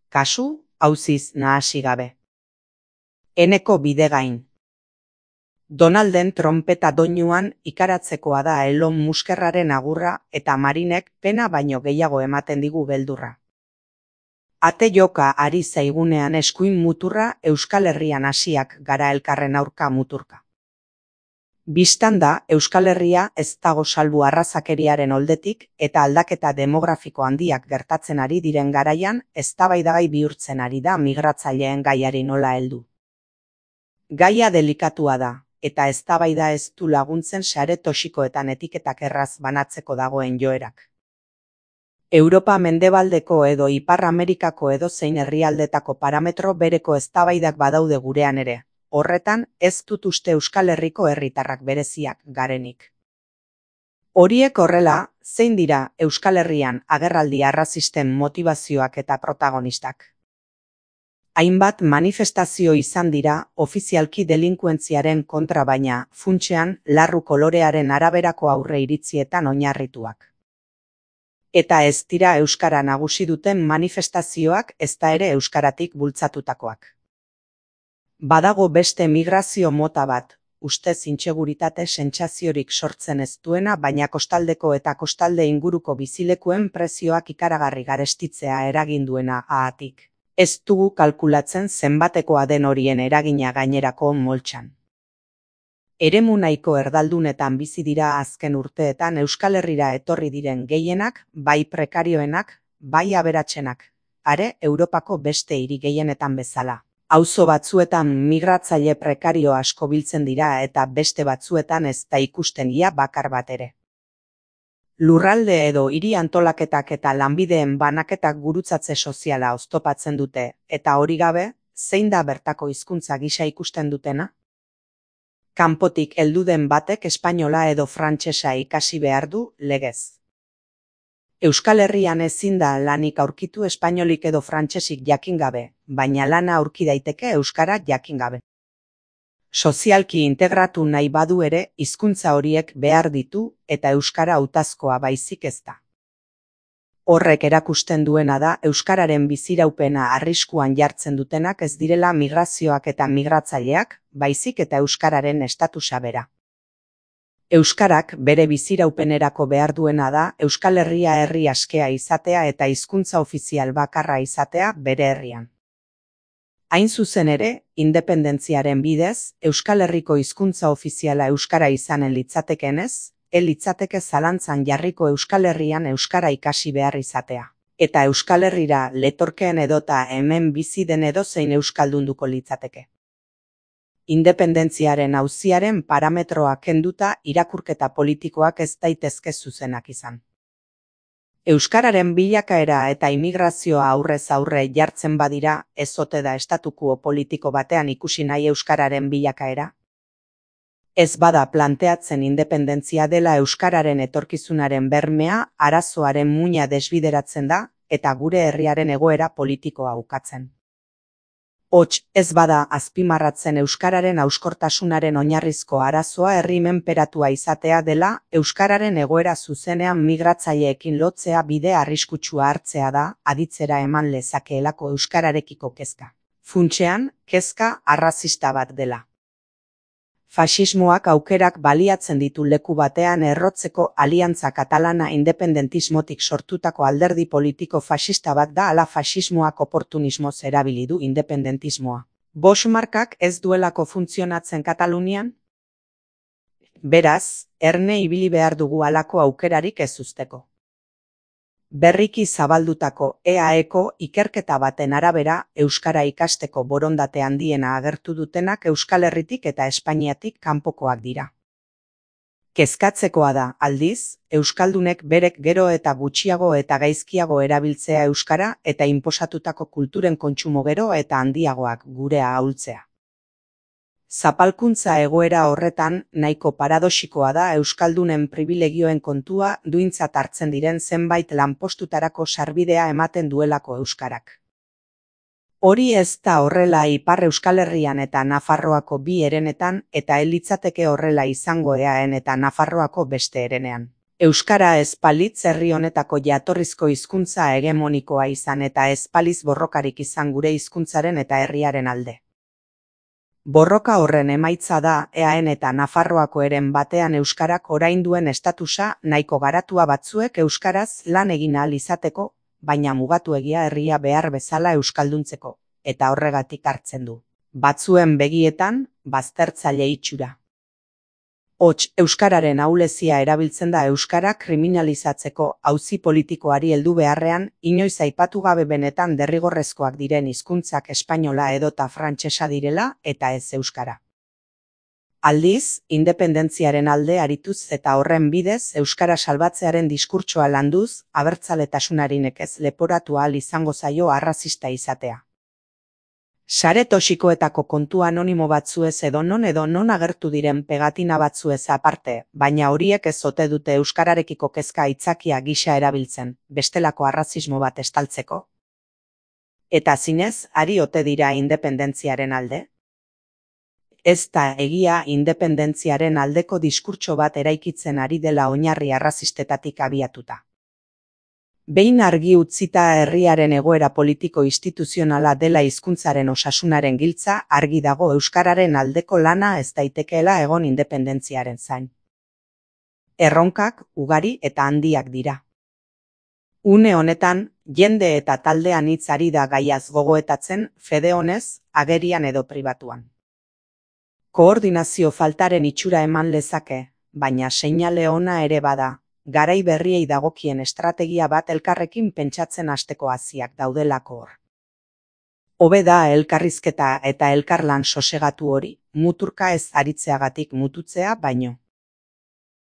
Kasu, auziz nahasi gabe. Eneko bidegain. Donalden tronpeta doinuan ikaratzekoa da Elon Muskerraren agurra eta Marinek pena baino gehiago ematen digu beldurra. Ate joka ari zaigunean eskuin muturra Euskal Herrian hasiak gara elkarren aurka muturka. Bistan da, Euskal Herria ez dago salbu arrazakeriaren oldetik eta aldaketa demografiko handiak gertatzen ari diren garaian eztabaidagai bihurtzen ari da migratzaileen gaiari nola heldu. Gaia delikatua da, eta eztabaida ez du laguntzen sare toxikoetan etiketak erraz banatzeko dagoen joerak. Europa mendebaldeko edo Ipar Amerikako edozein herrialdetako parametro bereko eztabaidak badaude gurean ere. Horretan, ez dut uste Euskal Herriko herritarrak bereziak garenik. Horiek horrela, zein dira Euskal Herrian agerraldi arrazisten motivazioak eta protagonistak? Hainbat manifestazio izan dira ofizialki delinkuentziaren kontra baina, funtsean, larru kolorearen araberako aurre iritzietan oinarrituak. Eta ez dira euskara nagusi duten manifestazioak ezta ere euskaratik bultzatutakoak. Badago beste migrazio mota bat, ustez intseguritate sentsaziorik sortzen ez duena baina kostaldeko eta kostalde inguruko bizilekuen prezioak ikaragarri garestitzea eragin duena haatik. Ez dugu kalkulatzen zenbatekoa den horien eragina gainerako moltsan. Eremu nahiko erdaldunetan bizi dira azken urteetan Euskal Herrira etorri diren gehienak, bai prekarioenak, bai aberatsenak, are Europako beste hiri gehienetan bezala. Auzo batzuetan migratzaile prekario asko biltzen dira eta beste batzuetan ez da ikusten ia bakar bat ere. Lurralde edo hiri antolaketak eta lanbideen banaketak gurutzatze soziala oztopatzen dute, eta hori gabe, zein da bertako hizkuntza gisa ikusten dutena? Kanpotik heldu den batek espainola edo frantsesa ikasi behar du legez. Euskal Herrian ezin da lanik aurkitu espainolik edo frantsesik jakin gabe, baina lana aurki daiteke euskara jakin gabe. Sozialki integratu nahi badu ere, hizkuntza horiek behar ditu eta euskara hautazkoa baizik ez da. Horrek erakusten duena da euskararen biziraupena arriskuan jartzen dutenak ez direla migrazioak eta migratzaileak, baizik eta euskararen estatusa bera. Euskarak bere biziraupenerako behar duena da Euskal Herria herri askea izatea eta hizkuntza ofizial bakarra izatea bere herrian. Hain zuzen ere, independentziaren bidez, Euskal Herriko hizkuntza ofiziala euskara izanen litzatekenez, litzateke zalantzan jarriko Euskal Herrian euskara ikasi behar izatea. Eta Euskal Herrira letorkeen edota hemen bizi den edozein euskaldunduko litzateke. Independentziaren auziaren parametroa kenduta irakurketa politikoak ez daitezke zuzenak izan. Euskararen bilakaera eta immigrazioa aurrez aurre jartzen badira, ez ote da estatuko politiko batean ikusi nahi euskararen bilakaera? Ez bada planteatzen independentzia dela euskararen etorkizunaren bermea, arazoaren muina desbideratzen da, eta gure herriaren egoera politikoa ukatzen. Hots, ez bada azpimarratzen euskararen hauskortasunaren oinarrizko arazoa herri menperatua izatea dela, euskararen egoera zuzenean migratzaileekin lotzea bide arriskutsua hartzea da, aditzera eman lezakeelako euskararekiko kezka. Funtsean, kezka arrazista bat dela. Faxismoak aukerak baliatzen ditu leku batean errotzeko aliantza katalana independentismotik sortutako alderdi politiko faxista bat da ala faxismoak oportunismoz erabili du independentismoa. Boschmarkak ez duelako funtzionatzen Katalunian? Beraz, erne ibili behar dugu halako aukerarik ez uzteko. Berriki zabaldutako EAEko ikerketa baten arabera euskara ikasteko borondate handiena agertu dutenak Euskal Herritik eta Espainiatik kanpokoak dira. Kezkatzekoa da, aldiz, euskaldunek berek gero eta gutxiago eta gaizkiago erabiltzea euskara eta inposatutako kulturen kontsumo gero eta handiagoak gurea ahultzea. Zapalkuntza egoera horretan nahiko paradoxikoa da euskaldunen pribilegioen kontua duintzat hartzen diren zenbait lanpostutarako sarbidea ematen duelako euskarak. Hori ez da horrela Ipar Euskal Herrian eta Nafarroako bi herenetan eta ez litzateke horrela izango Eaen eta Nafarroako beste herenean. Euskara ez balitz herri honetako jatorrizko hizkuntza hegemonikoa izan eta ez baliz borrokarik izan gure hizkuntzaren eta herriaren alde. Borroka horren emaitza da EAen eta Nafarroako heren batean euskarak orain duen estatusa nahiko garatua batzuek euskaraz lan egin ahal izateko, baina mugatuegia herria behar bezala euskalduntzeko, eta horregatik hartzen du. Batzuen begietan, baztertzaile itxura. Hots, euskararen ahulezia erabiltzen da euskara kriminalizatzeko auzi politikoari heldu beharrean, inoiz aipatu gabe benetan derrigorrezkoak diren hizkuntzak espainola edota frantsesa direla eta ez euskara. Aldiz, independentziaren alde arituz eta horren bidez euskara salbatzearen diskurtsoa landuz, abertzaletasunari nekez leporatu ahal izango zaio arrazista izatea. Sare toxikoetako kontu anonimo batzuez edo non agertu diren pegatina batzuez aparte, baina horiek ez ote dute euskararekiko kezka aitzakia gisa erabiltzen, bestelako arrazismo bat estaltzeko. Eta zinez, ari ote dira independentziaren alde? Ez da egia independentziaren aldeko diskurtso bat eraikitzen ari dela oinarri arrazistetatik abiatuta. Behin argi utzita herriaren egoera politiko instituzionala dela hizkuntzaren osasunaren giltza, argi dago euskararen aldeko lana ez daitekeela egon independentziaren zain. Erronkak ugari eta handiak dira. Une honetan, jende eta taldean hitz ari da gaiaz gogoetatzen, fede honez, agerian edo pribatuan. Koordinazio faltaren itxura eman lezake, baina seinale ona ere bada. Garai berriei dagokien estrategia bat elkarrekin pentsatzen hasteko hasiak daudelako hor. Hobe da elkarrizketa eta elkarlan sosegatu hori, muturka ez aritzeagatik mututzea baino.